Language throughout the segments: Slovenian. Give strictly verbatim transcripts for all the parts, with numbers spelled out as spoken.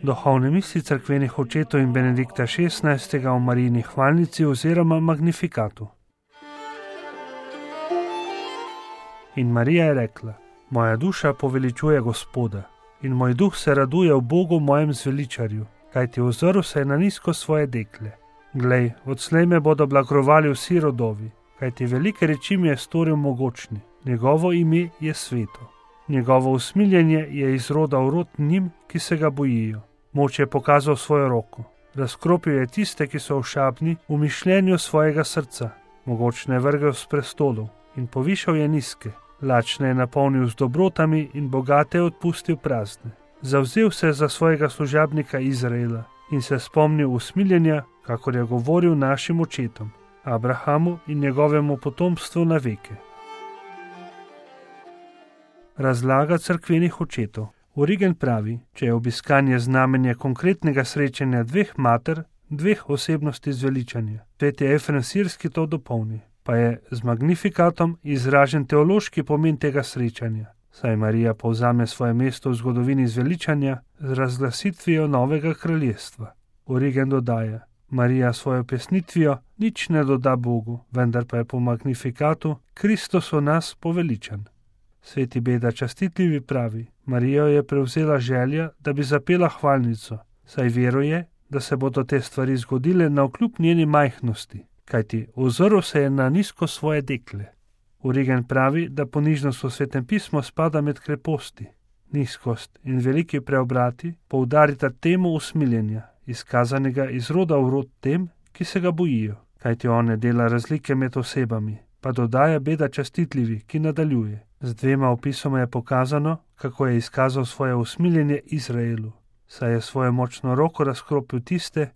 Duhovne misli cerkvenih očetov in Benedikta šestnajstega o Marijini hvalnici oziroma Magnifikatu. In Marija je rekla: Moja duša poveličuje Gospoda in moj duh se raduje v Bogu mojem zveličarju, kajti ozrl se je na nizko svoje dekle. Glej, odslej me bodo blagrovali vsi rodovi, kajti velike reči mi je storil mogočni, njegovo ime je sveto. Njegovo usmiljenje je iz roda v rod njim, ki se ga bojijo. Moč je pokazal svojo roko. Razkropil je tiste, ki so ošabni v mišljenju svojega srca. Mogočne je vrgel s prestolov in povišal je nizke. Lačne je napolnil z dobrotami in bogate je odpustil prazne. Zavzel se je za svojega služabnika Izraela in se spomnil usmiljenja, kakor je govoril našim očetom, Abrahamu in njegovemu potomstvu na veke. Razlaga cerkvenih očetov. Origen pravi, če je obiskanje znamenje konkretnega srečanja dveh mater, dveh osebnosti zveličanja. Sveti Efrem Sirski to dopolni, pa je z Magnifikatom izražen teološki pomen tega srečanja, saj Marija povzame svoje mesto v zgodovini zveličanja z razglasitvijo novega kraljestva. Origen dodaja: Marija svojo pesnitvijo nič ne doda Bogu, vendar pa je po Magnifikatu Kristus v nas poveličan. Sveti Beda Častitljivi pravi: Marijo je prevzela želja, da bi zapela hvalnico, saj veruje, da se bodo te stvari zgodile navkljub njeni majhnosti, kajti ozrl se je na nizko svoje dekle. Origen pravi, da ponižnost v Svetem pismu spada med kreposti. Nizkost in veliki preobrati poudarita temu usmiljenja, izkazanega iz roda v rod tem, ki se ga bojijo, kajti on ne dela razlike med osebami, pa dodaja Beda Častitljivi, ki nadaljuje: Z dvema opisoma je pokazano, kako je izkazal svoje usmiljenje Izraelu, saj je svojo močno roko razkropil tiste,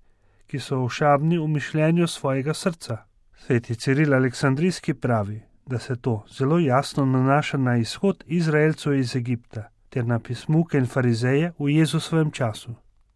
ki so ošabni v mišljenju svojega srca. Sveti Ciril Aleksandrijski pravi, da se to zelo jasno nanaša na izhod Izraelcev iz Egipta ter na pismuke in farizeje v Jezusovem času.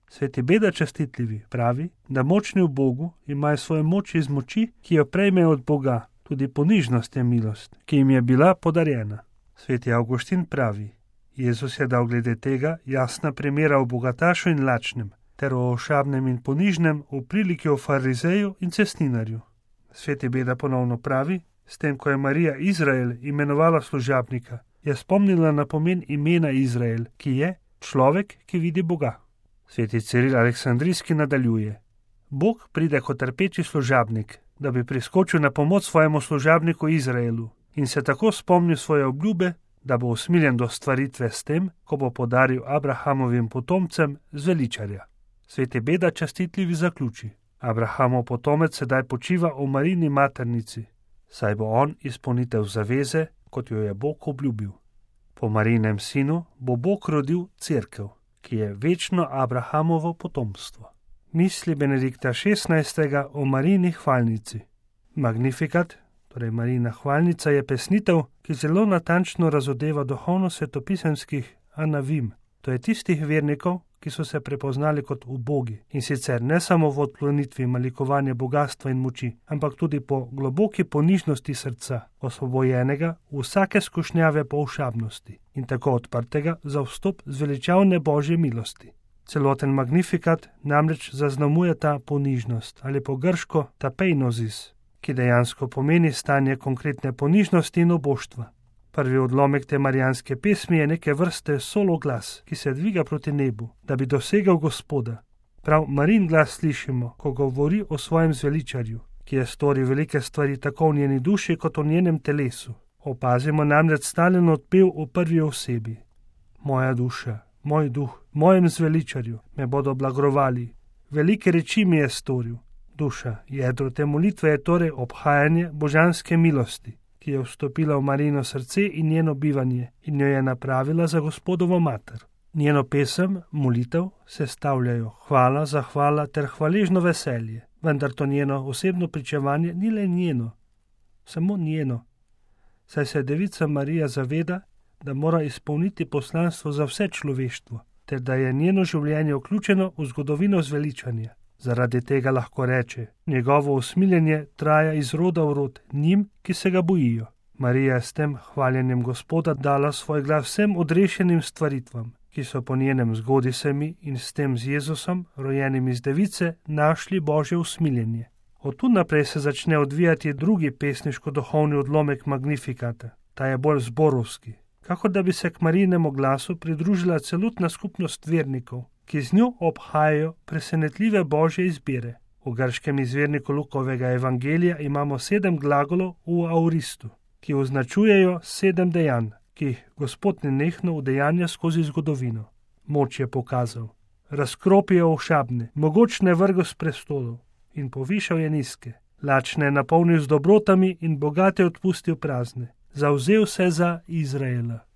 Sveti Beda Častitljivi pravi, da močni v Bogu imajo svojo moč iz moči, ki jo prejmejo od Boga, tudi ponižnost je milost, ki jim je bila podarjena. Sveti Avguštin pravi, Jezus je dal glede tega jasna primera o bogatašu in lačnem, ter o ošabnem in ponižnem v priliki o farizeju in cestninarju. Sveti Beda ponovno pravi, s tem, ko je Marija Izrael imenovala služabnika, je spomnila na pomen imena Izrael, ki je človek, ki vidi Boga. Sveti Ciril Aleksandrijski nadaljuje: Bog pride kot trpeči služabnik, da bi priskočil na pomoč svojemu služabniku Izraelu in se tako spomnil svoje obljube, da bo usmiljen do stvaritve s tem, ko bo podaril Abrahamovim potomcem zveličarja. Sveti Beda Častitljivi zaključi: Abrahamov potomec sedaj počiva v Marijini maternici, saj bo on izpolnitev zaveze, kot jo je Bog obljubil. Po Marijinem sinu bo Bog rodil cerkev, ki je večno Abrahamovo potomstvo. Misli Benedikta šestnajstega o Marijini hvalnici. Magnifikat, torej Marijina hvalnica, je pesnitev, ki zelo natančno razodeva duhovno svetopisemskih anavim, to je tistih vernikov, ki so se prepoznali kot ubogi, in sicer ne samo v odklonitvi malikovanja bogatstva in moči, ampak tudi po globoki ponižnosti srca, osvobojenega vsake skušnjave po ošabnosti in tako odprtega za vstop zveličavne Božje milosti. Celoten Magnifikat namreč zaznamuje ta ponižnost ali po grško tapeinozis, ki dejansko pomeni stanje konkretne ponižnosti in oboštva. Prvi odlomek te marijanske pesmi je neke vrste solo glas, ki se dviga proti nebu, da bi dosegel Gospoda. Prav Marijin glas slišimo, ko govori o svojem zveličarju, ki je storil velike stvari tako v njeni duši kot v njenem telesu. Opazimo namreč stalen odpev v prvi osebi. Moja duša, moj duh, mojem zveličarju me bodo blagrovali. Velike reči mi je storil. Duša, jedro te molitve je torej obhajanje božanske milosti, ki je vstopila v Marijino srce in njeno bivanje in jo je napravila za Gospodovo mater. Njeno pesem, molitev, sestavljajo hvala, zahvala ter hvaležno veselje, vendar to njeno osebno pričevanje ni le njeno, samo njeno, saj se devica Marija zaveda, da mora izpolniti poslanstvo za vse človeštvo, ter da je njeno življenje vključeno v zgodovino zveličanja. Zaradi tega lahko reče: njegovo usmiljenje traja iz roda v rod njim, ki se ga bojijo. Marija je s tem hvaljenjem Gospoda dala svoj glas vsem odrešenim stvaritvam, ki so po njenem zgodi semi in s tem z Jezusom, rojenim iz device, našli Božje usmiljenje. Od tu naprej se začne odvijati drugi pesniško-duhovni odlomek Magnifikata. Ta je bolj zborovski, kakor da bi se k Marijinemu glasu pridružila celotna skupnost vernikov, ki z njo obhajajo presenetljive Božje izbire. V grškem izvirniku Lukovega evangelija imamo sedem glagolov v auristu, ki označujejo sedem dejanj, ki jih Gospod nenehno udejanja skozi zgodovino. Moč je pokazal, razkropil je ošabne, mogočne vrgel s prestolov in povišal je nizke, lačne je napolnil z dobrotami in bogate odpustil prazne. Zavzel se za Izraela.